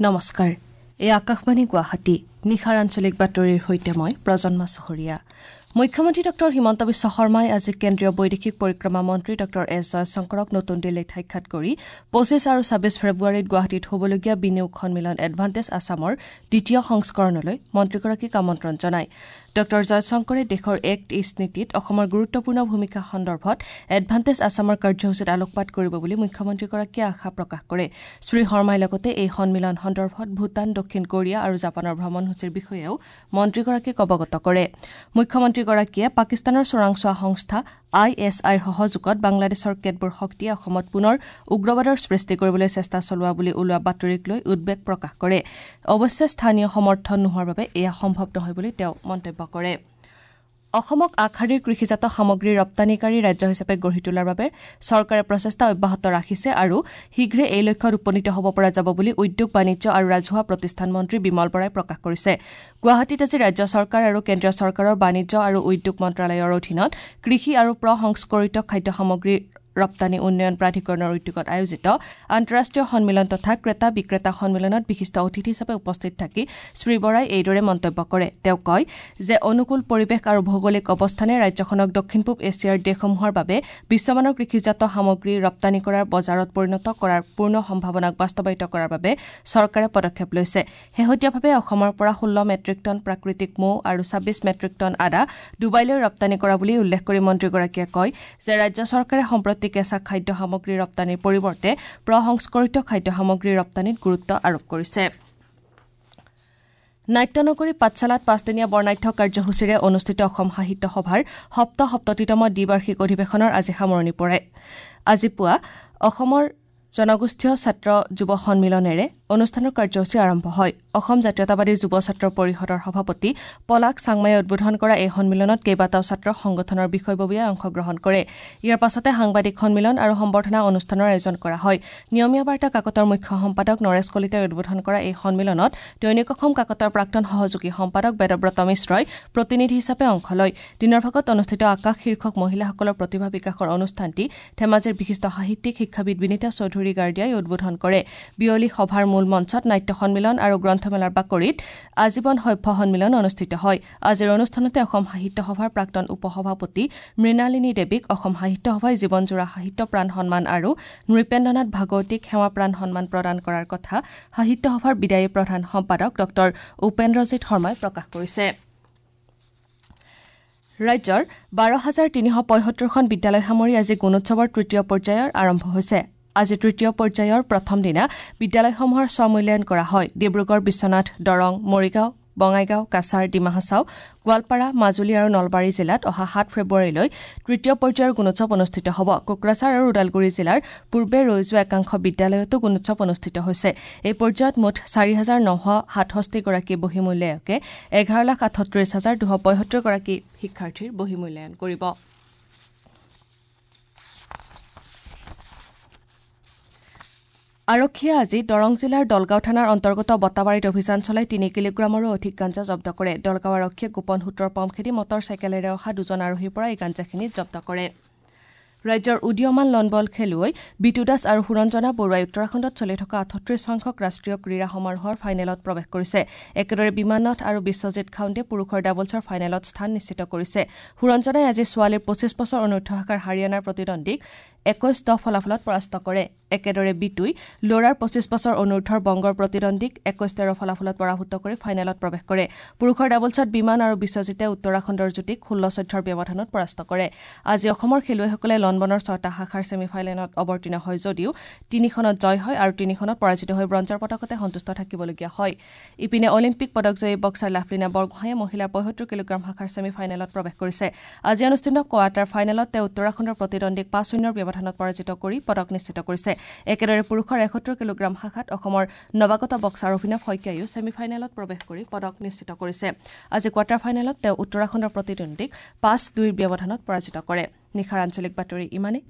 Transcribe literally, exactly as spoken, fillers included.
নমস্কাৰ, এই আকাশবাণী গুৱাহাটী। নিশাৰ আঞ্চলিক বাতৰিৰ সৈতে মই প্ৰজন্মা চহৰীয়া। মুখ্যমন্ত্ৰী ডঃ হিমন্ত বিশ্ব শৰ্মাই আজি কেন্দ্ৰীয় বৈদেশিক পৰিক্ৰমা মন্ত্ৰী ডঃ এছ জয়শংকৰক নতুন দিল্লীত সাক্ষাৎ কৰি পঁচিছ আৰু ছাব্বিছ ফেব্ৰুৱাৰীত গুৱাহাটীত হ'বলগীয়া বিনিয়োগ সন্মিলন এডভান্টেজ আছামৰ দ্বিতীয় সংস্কৰণলৈ মন্ত্ৰীগৰাকীক আমন্ত্ৰণ জনায়। ডঃ জয়শংকৰে দেশৰ এক্ট ইষ্ট নীতিত অসমৰ গুৰুত্বপূৰ্ণ ভূমিকা সন্দৰ্ভত এডভান্টেজ আছামৰ কাৰ্যসূচীত আলোকপাত কৰিব বুলি মুখ্যমন্ত্ৰীগৰাকীয়ে আশা প্ৰকাশ কৰে। শ্ৰী শৰ্মাই লগতে এই সন্মিলন সন্দৰ্ভত ভূটান, দক্ষিণ কোৰিয়া আৰু জাপানৰ ভ্ৰমণসূচীৰ বিষয়েও মন্ত্ৰীগৰাকীক অৱগত কৰে। মুখ্যমন্ত্ৰীগৰাকীয়ে পাকিস্তানৰ চোৰাংচোৱা সংস্থা I S আইৰ সহযোগত বাংলাদেশৰ কেতবোৰ শক্তিয়ে অসমত পুনৰ উগ্ৰবাদৰ সৃষ্টি কৰিবলৈ চেষ্টা চলোৱা বুলি ওলোৱা বাতৰিক লৈ উদ্বেগ প্ৰকাশ কৰে। অৱশ্যে স্থানীয় সমৰ্থন নোহোৱাৰ বাবে এয়া সম্ভৱ নহয় বুলি তেওঁ মন্তব্য কৰে। অসমক আগশাৰীৰ কৃষিজাত সামগ্ৰী ৰপ্তানিকাৰী ৰাজ্য হিচাপে গঢ়ি তোলাৰ বাবে চৰকাৰে প্ৰচেষ্টা অব্যাহত ৰাখিছে আৰু শীঘ্ৰে এই লক্ষ্যত উপনীত হ'ব পৰা যাব বুলি উদ্যোগ, বাণিজ্য আৰু ৰাজহুৱা প্ৰতিষ্ঠান মন্ত্ৰী বিমল বৰাই প্ৰকাশ কৰিছে। গুৱাহাটীত আজি ৰাজ্য চৰকাৰ আৰু কেন্দ্ৰীয় চৰকাৰৰ বাণিজ্য আৰু উদ্যোগ মন্ত্ৰালয়ৰ অধীনত কৃষি আৰু প্ৰসংস্কৰিত খাদ্য সামগ্ৰী ৰপ্তানি উন্নয়ন প্ৰাধিকৰণৰ উদ্যোগত আয়োজিত আন্তঃৰাষ্ট্ৰীয় সন্মিলন তথা ক্ৰেতা বিক্ৰেতা সন্মিলনত বিশিষ্ট অতিথি হিচাপে উপস্থিত থাকি শ্ৰী বৰাই এইদৰে মন্তব্য কৰে। তেওঁ কয় যে অনুকূল পৰিৱেশ আৰু ভৌগোলিক অৱস্থানে ৰাজ্যখনক দক্ষিণ পূব এছিয়াৰ দেশসমূহৰ বাবে বিশ্বমানৰ কৃষিজাত সামগ্ৰী ৰপ্তানি কৰাৰ বজাৰত পৰিণত কৰাৰ পূৰ্ণ সম্ভাৱনাক বাস্তৱায়িত কৰাৰ বাবে চৰকাৰে পদক্ষেপ লৈছে। শেহতীয়াভাৱে অসমৰ পৰা ষোল্ল মেট্ৰিক টন প্ৰাকৃতিক মৌ আৰু ছাব্বিছ মেট্ৰিক টন আদা ডুবাইলৈ ৰপ্তানি কৰা বুলি উল্লেখ কৰি মন্ত্ৰীগৰাকীয়ে কয় যে ৰাজ্য চৰকাৰে সম্প্ৰতি কেঁচা খাদ্য সামগ্ৰী ৰপ্তানিৰ পৰিৱৰ্তে প্ৰসংস্কৰিত খাদ্য সামগ্ৰী ৰপ্তানিত গুৰুত্ব আৰোপ কৰিছে। নাট্যনগৰী পাঠশালাত পাঁচদিনীয়া বৰ্ণাঢ্য কাৰ্যসূচীৰে অনুষ্ঠিত অসম সাহিত্য সভাৰ সপ্তসপ্ততিতম দ্বিবাৰ্ষিক অধিৱেশনৰ আজি সামৰণি পৰে। আজি পুৱা অসমৰ জনগোষ্ঠীয় ছাত্ৰ যুৱ সন্মিলনেৰে অনুষ্ঠানৰ কাৰ্যসূচী আৰম্ভ হয়। অসম জাতীয়তাবাদী যুৱ ছাত্ৰ পৰিষদৰ সভাপতি পলাশ চাংমাইয়ে উদ্বোধন কৰা এই সন্মিলনত কেইবাটাও ছাত্ৰ সংগঠনৰ বিষয়ববীয়াই অংশগ্ৰহণ কৰে। ইয়াৰ পাছতে সাংবাদিক সন্মিলন আৰু সম্বৰ্ধনা অনুষ্ঠানৰ আয়োজন কৰা হয়। নিয়মীয়া বাৰ্তা কাকতৰ মুখ্য সম্পাদক নৰেশ কলিতাই উদ্বোধন কৰা এই সন্মিলনত দৈনিক অসম কাকতৰ প্ৰাক্তন সহযোগী সম্পাদক বেদব্ৰত মিশ্ৰই প্ৰতিনিধি হিচাপে অংশ লয়। দিনৰ ভাগত অনুষ্ঠিত আকাশ শীৰ্ষক মহিলাসকলৰ প্ৰতিভা বিকাশৰ অনুষ্ঠানটি ধেমাজিৰ বিশিষ্ট সাহিত্যিক শিক্ষাবিদ বিনীতা চৌধুৰী গাৰ্ডিয়াই উদ্বোধন কৰে। বিয়লি সভাৰ মূল মঞ্চত নাট্য সন্মিলন আৰু গ্ৰন্থমেলাৰ বাকৰিত আজীৱন সভ্য সন্মিলন অনুষ্ঠিত হয়। আজিৰ অনুষ্ঠানতে অসম সাহিত্য সভাৰ প্ৰাক্তন উপসভাপতি মৃণালিনী দেৱীক অসম সাহিত্য সভাই জীৱনজোৰা সাহিত্য প্ৰাণ সন্মান আৰু নৃপেন্দ্ৰনাথ ভাগৱতীক সেৱা প্ৰাণ সন্মান প্ৰদান কৰাৰ কথা সাহিত্য সভাৰ বিদায়ী প্ৰধান সম্পাদক ডঃ উপেন্দ্ৰজিৎ শৰ্মাই প্ৰকাশ কৰিছে। ৰাজ্যৰ বাৰ হাজাৰ তিনিশ পঁয়সত্তৰখন বিদ্যালয় সামৰি আজি গুণোৎসৱৰ তৃতীয় পৰ্যায়ৰ আৰম্ভ হৈছে। আজি তৃতীয় পৰ্যায়ৰ প্ৰথম দিনা বিদ্যালয়সমূহৰ স্বমূল্যায়ন কৰা হয়। ডিব্ৰুগড়, বিশ্বনাথ, দৰং, মৰিগাঁও, বঙাইগাঁও, কাছাৰ, ডিমা হাছাও, গোৱালপাৰা, মাজুলী আৰু নলবাৰী জিলাত অহা সাত ফেব্ৰুৱাৰীলৈ তৃতীয় পৰ্যায়ৰ গুণোৎসৱ অনুষ্ঠিত হ'ব। কোকৰাঝাৰ আৰু ওদালগুৰি জিলাৰ পূৰ্বে ৰৈ যোৱা একাংশ বিদ্যালয়তো গুণোৎসৱ অনুষ্ঠিত হৈছে। এই পৰ্যায়ত মুঠ চাৰি হাজাৰ নশ সাতষষ্ঠিগৰাকী বহিমূল্যায়কে এঘাৰ লাখ আঠত্ৰিশ হাজাৰ দুশ পঁয়সত্তৰগৰাকী শিক্ষাৰ্থীৰ বহিমূল্যায়ন কৰিব। আৰক্ষীয়ে আজি দৰং জিলাৰ দলগাঁও থানাৰ অন্তৰ্গত বটাবাৰীত অভিযান চলাই তিনি কিলোগ্ৰামৰো অধিক গাঞ্জা জব্দ কৰে। দলগাঁও আৰক্ষীয়ে গোপন সূত্ৰৰ পম খেদি মটৰ চাইকেলেৰে অহা দুজন আৰোহীৰ পৰা এই গাঞ্জাখিনি জব্দ কৰে। ৰাজ্যৰ উদীয়মান লনবল খেলুৱৈ বিতু দাস আৰু সুৰঞ্জনা বৰুৱাই উত্তৰাখণ্ডত চলি থকা আঠত্ৰিশ সংখ্যক ৰাষ্ট্ৰীয় ক্ৰীড়া সমাৰোহৰ ফাইনেলত প্ৰৱেশ কৰিছে। একেদৰে বিমান নাথ আৰু বিশ্বজিৎ খাউণ্ডে পুৰুষৰ ডাবলছৰ ফাইনেলত স্থান নিশ্চিত কৰিছে। সুৰঞ্জনাই আজি ছোৱালীৰ পঁচিছ বছৰ অনুৰ্ধ শাখাৰ হাৰিয়ানাৰ প্ৰতিদ্বন্দ্বীক একৈশ দহ ফলাফলত পৰাস্ত কৰে। একেদৰে বিতুই ল'ৰাৰ পঁচিছ বছৰ অনুৰ্ধৰ বংগৰ প্ৰতিদ্বন্দ্বীক একৈশ তেৰ ফলাফলত পৰাভূত কৰি ফাইনেলত প্ৰৱেশ কৰে। পুৰুষৰ ডাবলছত বিমান আৰু বিশ্বজিতে উত্তৰাখণ্ডৰ যুটিক ষোল্ল চৈধ্যৰ ব্যৱধানত পৰাস্ত কৰে। আজি অসমৰ খেলুৱৈসকলে লনবনৰ ছটা শাখাৰ ছেমি ফাইনেলত অৱতীৰ্ণ হয় যদিও তিনিখনত জয় হয় আৰু তিনিখনত পৰাজিত হৈ ব্ৰঞ্জৰ পদকতে সন্তুষ্ট থাকিবলগীয়া হয়। ইপিনে অলিম্পিক পদকজয়ী বক্সাৰ লাভলীনা বৰগোহাঁয়ে মহিলাৰ পঁয়সত্তৰ কিলোগ্ৰাম শাখাৰ ছেমি ফাইনেলত প্ৰৱেশ কৰিছে। আজি অনুষ্ঠিত কোৱাৰ্টাৰ ফাইনেলত তেওঁ উত্তৰাখণ্ডৰ প্ৰতিদ্বন্দ্বীক পাঁচ শূন্যৰ ব্যৱধানত পৰাজিত কৰি পদক নিশ্চিত কৰিছে। একেদৰে পুৰুষৰ এসত্তৰ কিলোগ্ৰাম শাখাত অসমৰ নৱাগত বক্সাৰ অভিনৱ শইকীয়াইও ছেমি ফাইনেলত প্ৰৱেশ কৰি পদক নিশ্চিত কৰিছে। আজি কোৱাৰ্টাৰ ফাইনেলত তেওঁ উত্তৰাখণ্ডৰ প্ৰতিদ্বন্দ্বীক পাঁচ দুইৰ ব্যৱধানত পৰাজিত কৰে। নিশাৰ আঞ্চলিক বাতৰি ইমানেই।